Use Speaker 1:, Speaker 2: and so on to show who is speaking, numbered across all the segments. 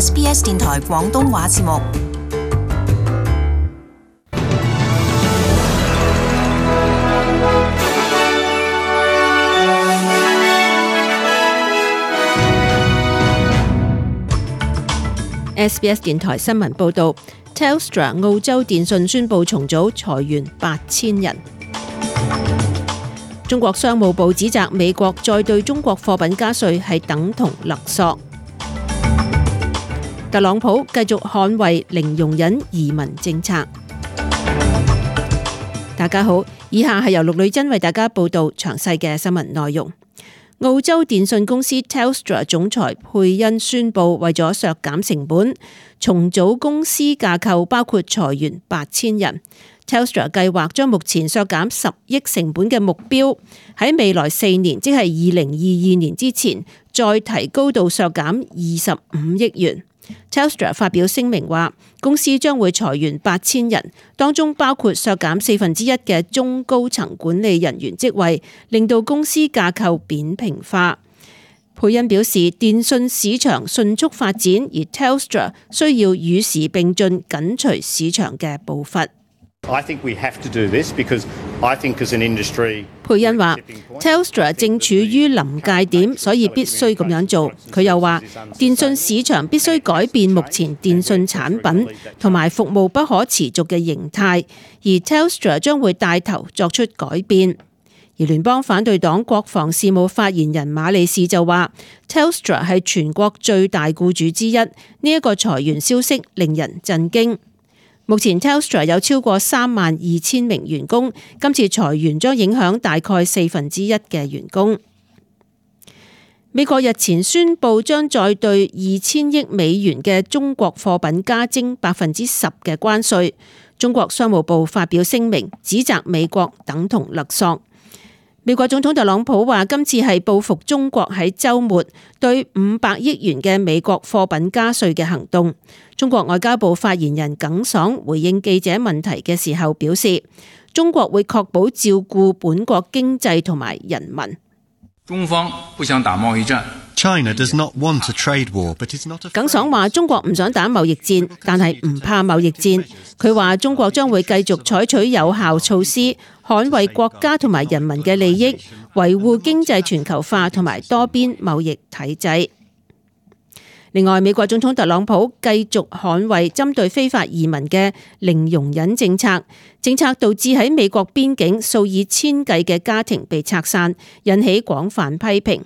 Speaker 1: SBS 電台廣東話節目。
Speaker 2: SBS 電台新聞報導 ，Telstra 澳洲電訊宣布重組，裁員8000人。中國商務部指責美國再對中國貨品加稅係等同勒索。特朗普繼續捍衛零容忍移民政策。大家好，以下係由陸女珍為大家報導詳細嘅新聞內容。澳洲電訊公司 Telstra 總裁佩恩宣布，為咗削減成本，重組公司架構，包括裁員8000人。Telstra 計劃將目前削減10億成本嘅目標，喺未來4年，即係2022年之前，再提高到削減25億元。Telstra 發表聲明話，公司將會裁員8000人，當中包括削減1/4嘅中高層管理人員職位，令到公司架構扁平化。佩恩表示，電訊市場迅速發展，而 Telstra 需要與時並進，緊隨市場嘅步伐。佩恩話 Telstra 正處於臨界點，所以必須咁樣做。佢又話，電訊市場必須改變目前電訊產品同埋服務不可持續嘅形態，而 Telstra 將會帶頭作出改變。而聯邦反對黨國防事務發言人馬利士就話 Telstra 係全國最大僱主之一，呢一個裁員消息令人震驚。目前 Telstra 有超過32000名員工，今次裁員將影響大概1/4嘅員工。美國日前宣布將再對2000億美元嘅中國貨品加徵10%嘅關稅。中國商務部發表聲明，指責美國等同勒索。美國總統特朗普話，今次係報復中國喺週末對500億元嘅美國貨品加稅嘅行動。中國外交部發言人耿爽回應記者問題嘅時候表示，中國會確保照顧本國經濟同埋人民。
Speaker 3: 中方不想打貿易戰。
Speaker 4: China does not want a trade war, but is not.
Speaker 2: 耿爽話：中國唔想打貿易戰，但係唔怕貿易戰。佢話中國將會繼續採取有效措施，捍衛國家同埋人民嘅利益，維護經濟全球化同埋多邊貿易體制。另外，美國總統特朗普繼續捍衛針對非法移民嘅零容忍政策，政策導致喺美國邊境數以千計嘅家庭被拆散，引起廣泛批評。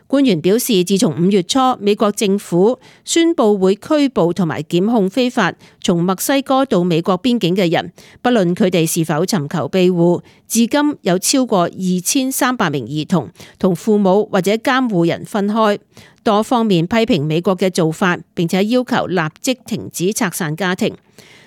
Speaker 2: 官員表示，自從5月初美國政府宣布會拘捕同埋檢控非法從墨西哥到美國邊境嘅人，不論佢哋是否尋求庇護，至今有超過2300名兒童同父母或者監護人分開。多方面批評美國嘅做法，並且要求立即停止拆散家庭。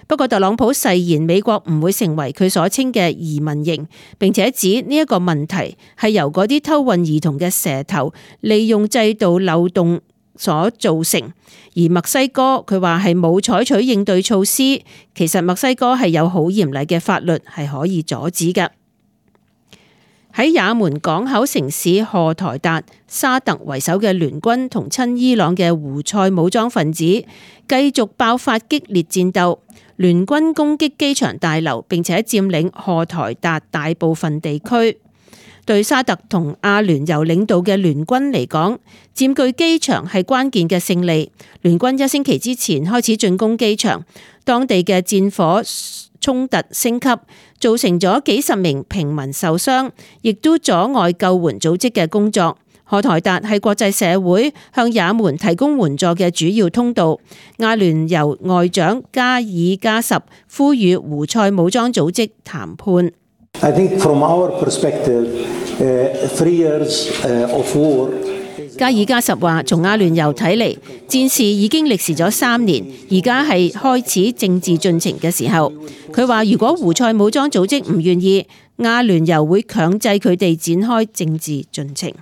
Speaker 2: 不過特朗普誓言美國唔會成為佢所稱嘅移民營，並且指呢一個問題係由嗰啲偷運兒童嘅蛇頭利用制度漏洞所造成。而墨西哥佢話係冇採取應對措施，其實墨西哥係有好嚴厲嘅法律係可以阻止嘅。喺也門港口城市荷台達，沙特為首嘅聯軍同親伊朗嘅胡塞武裝分子繼續爆發激烈戰鬥，聯軍攻擊機場大樓，並且佔領荷台達大部分地區。對沙特同阿聯酋領導嘅聯軍嚟講，佔據機場係關鍵嘅勝利。聯軍1星期之前開始進攻機場，當地嘅戰火衝突升級，造成咗幾十名平民受傷，亦都阻礙救援組織嘅工作。荷台達係國際社會向也門提供援助嘅主要通道。阿聯酋外長加爾加什呼籲胡塞武裝組織談判。
Speaker 5: I think from our perspective, 3 years of war.
Speaker 2: 加爾加什話：從阿聯酋睇嚟，戰事已經歷時咗3年，而家係開始政治進程嘅時候。佢話：如果胡塞武裝組織唔願意，阿聯酋會強制佢哋展開政治進程。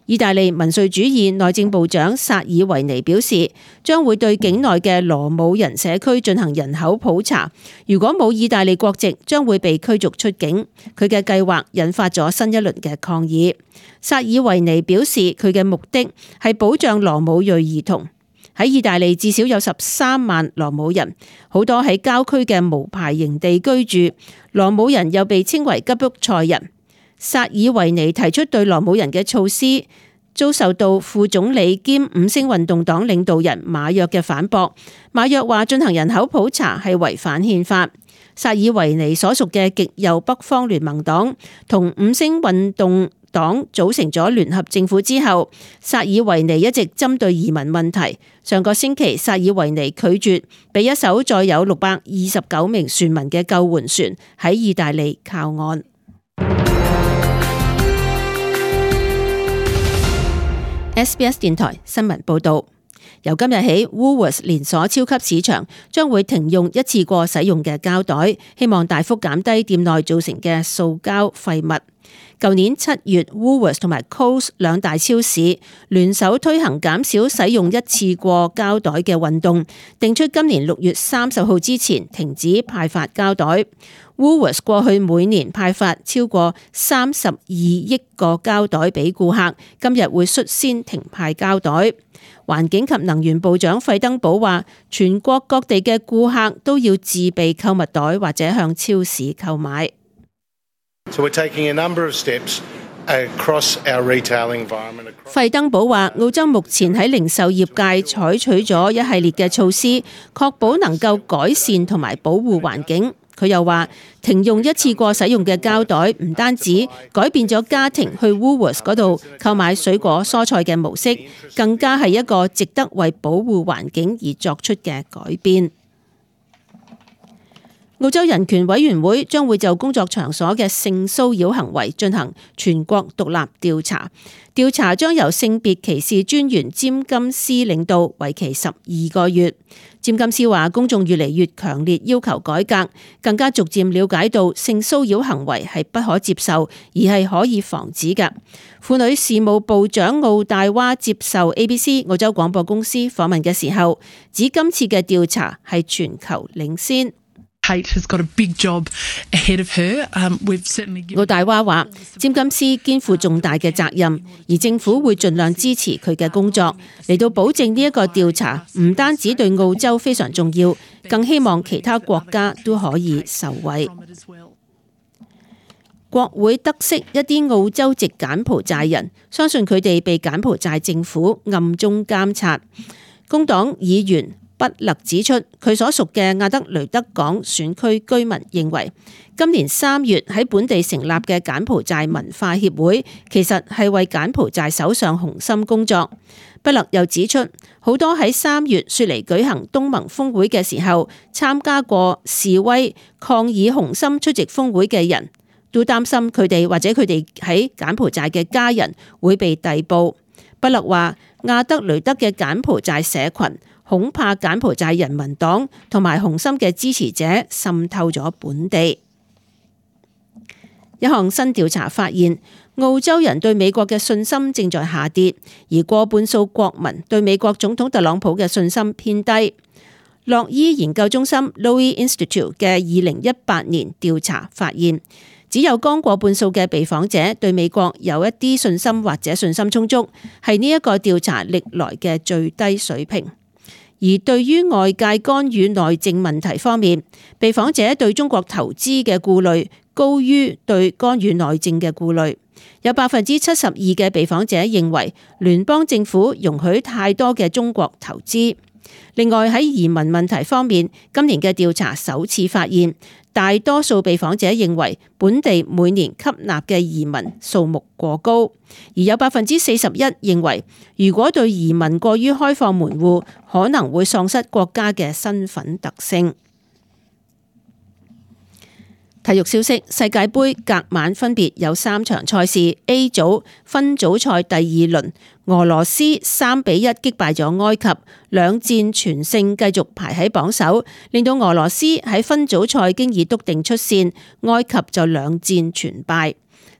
Speaker 2: 意大利民粹主義內政部長薩爾維尼表示，將會對境內嘅羅姆人社區進行人口普查，如果冇意大利國籍，將會被驅逐出境。佢嘅計劃引發咗新一輪嘅抗議。薩爾維尼表示，佢嘅目的係保障羅姆裔兒童。喺意大利至少有13萬羅姆人，好多喺郊區嘅無牌營地居住。羅姆人又被稱為吉卜賽人。薩爾維尼提出對羅姆人嘅措施，遭受到副總理兼五星運動黨領導人馬約嘅反駁。馬約話進行人口普查係違反憲法。薩爾維尼所屬嘅極右北方聯盟黨同五星運動黨組成咗聯合政府之後，薩爾維尼一直針對移民問題。上個星期，薩爾維尼拒絕俾一艘載有629名船民嘅救援船喺意大利靠岸。SBS 電台新聞報道。由今日起 Woolworths 連鎖超級市場將會停用一次過使用嘅膠袋，希望大幅減低店內造成嘅塑膠廢物。舊年7月 Woolworths 同埋 Coles 兩大超市聯手推行減少使用一次過膠袋嘅運動，定出今年6月30號之前停止派發膠袋。Woolworths 過去每年派發超過32億個膠袋俾顧客，今日會率先停派膠袋。環境及能源部長費登堡話，全國各地嘅顧客都要自備購物袋或者向超市購買。費登堡話，澳洲目前喺零售業界採取咗一系列嘅措施，確保能夠改善同埋保護環境。佢又話，停用一次過使用嘅膠袋唔單止改變咗家庭去 Woolworths 嗰度購買水果蔬菜嘅模式，更加係一個值得為保護環境而作出嘅改變。澳洲人權委員會將會就工作場所嘅性騷擾行為進行全國獨立調查，調查將由性別歧視專員詹金斯領導，為期12個月。詹金斯話，公眾越嚟越強烈要求改革，更加逐漸了解到性騷擾行為係不可接受，而係可以防止嘅。婦女事務部長奧大娃接受 ABC 澳洲廣播公司訪問嘅時候，指今次嘅調查係全球領先。奧大娃話，詹金斯肩負重大嘅責任，而政府會盡量支持佢嘅工作，嚟到保證呢一個調查唔單止對澳洲非常重要，更希望其他國家都可以受惠。國會得悉一啲澳洲籍柬埔寨人，相信佢哋被柬埔寨政府暗中監察。工黨議員畢勒指出，佢所屬嘅亞德雷德港選區居民認為，今年3月喺本地成立嘅柬埔寨文化協會，其實係為柬埔寨首相洪森工作。畢勒又指出，好多喺3月雪梨舉行東盟峰會嘅時候參加過示威抗議洪森出席峰會嘅人，都擔心佢哋或者佢哋喺柬埔寨嘅家人會被逮捕。畢勒話，亞德雷德嘅柬埔寨社群恐怕柬埔寨人民黨同埋洪森嘅支持者滲透咗本地。一項新調查發現，澳洲人對美國嘅信心正在下跌，而過半數國民對美國總統特朗普嘅信心偏低。洛伊研究中心 Lowy Institute 嘅2018年調查發現，只有剛過半數嘅被訪者對美國有一啲信心或者信心充足，係呢一個調查歷來嘅最低水平。而對於外界干預內政問題方面，被訪者對中國投資嘅顧慮高於對干預內政嘅顧慮。有72%嘅被訪者認為聯邦政府容許太多嘅中國投資。另外喺移民問題方面，今年嘅調查首次發現，大多數被訪者認為本地每年吸納嘅移民數目過高，而有41%認為如果對移民過於開放門戶，可能會喪失國家嘅身份特性。體育消息，世界盃隔晚分別有3場賽事。A 組分組賽第2輪，俄羅斯3-1擊敗咗埃及，兩戰全勝，繼續排喺榜首，令到俄羅斯喺分組賽經已篤定出線，埃及就兩戰全敗。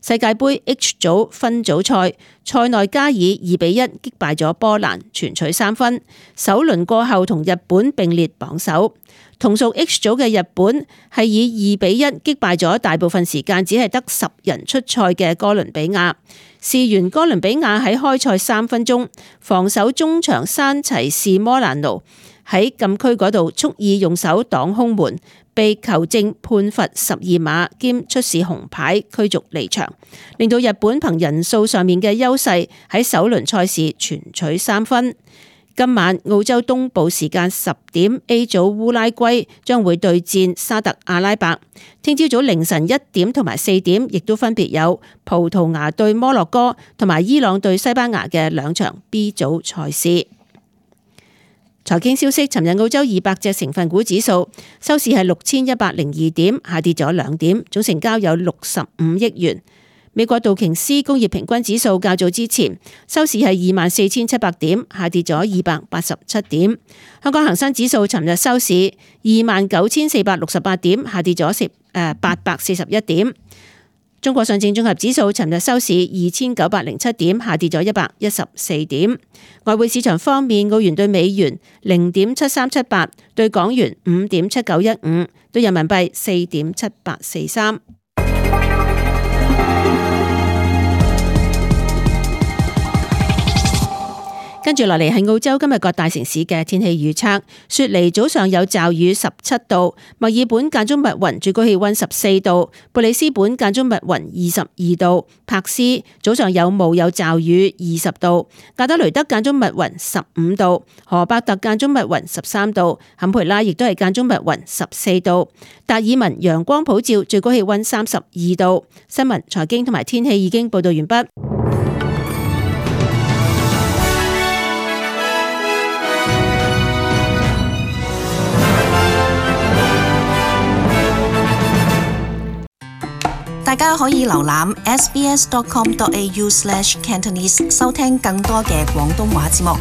Speaker 2: 世界盃 H 組分組賽，塞內加爾2-1擊敗咗波蘭，全取3分。首輪過後同日本並列榜首。同屬 H 組嘅日本係以2-1擊敗咗大部分時間只係得10人出賽嘅哥倫比亞。事緣哥倫比亞喺開賽3分鐘，防守中場山齊士摩蘭奴喺禁區嗰度蓄意用手擋空門，被球證判罰12碼兼出示紅牌驅逐離場，令到日本憑人數上面嘅優勢喺首輪賽事全取3分。今晚澳洲東部時間10點 A 組烏拉圭將會對戰沙特阿拉伯，聽朝早凌晨1點同埋4點亦都分別有葡萄牙對摩洛哥同埋伊朗對西班牙嘅兩場 B 組賽事。財經消息，尋日澳洲200隻成分股指數收市係6102點，下跌咗2點，總成交有65億元。美國道瓊斯工業平均指數較早之前收市係24,700點，下跌咗287點。香港恒生指數尋日收市29,468點，下跌咗841點。中國上證綜合指數尋日收市2,907點，下跌咗114點。外匯市場方面，澳元對美元0.7378，對港元5.7915，對人民幣4.7843。跟住落嚟係澳洲今日各大城市嘅天氣預測。雪梨早上有驟雨17度，墨爾本間中密雲，最高氣溫14度；布里斯本間中密雲22度；柏斯早上有霧有驟雨20度；亞德雷德間中密雲15度；荷伯特間中密雲13度；坎培拉亦都係間中密雲14度；達爾文陽光普照，最高氣溫32度。新聞、財經同埋天氣已經報道完畢。
Speaker 1: 大家可以瀏覽 sbs.com.au/cantonese 收聽更多嘅廣東話節目。